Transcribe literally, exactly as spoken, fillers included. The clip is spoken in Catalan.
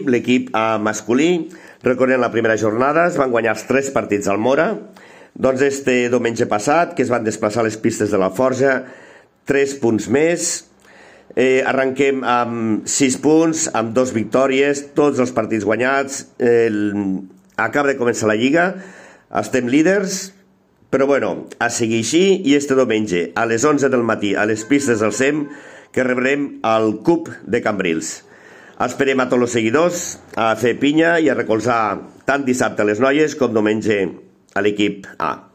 L'equip A masculí, recordem la primera jornada, es van guanyar els tres partits al Mora. Doncs este diumenge passat, que es van desplaçar a les pistes de la Forja, tres punts més. Eh, arrenquem amb sis punts, amb dos victòries, tots els partits guanyats. El... Acaba de començar la Lliga, estem líders, però bueno, a seguir així, i este diumenge a les onze del matí a les pistes del SEM, que rebrem el Cup de Cambrils. Esperem a tots els seguidors a fer pinya i a recolzar tant dissabte a les noies com diumenge a l'equip A.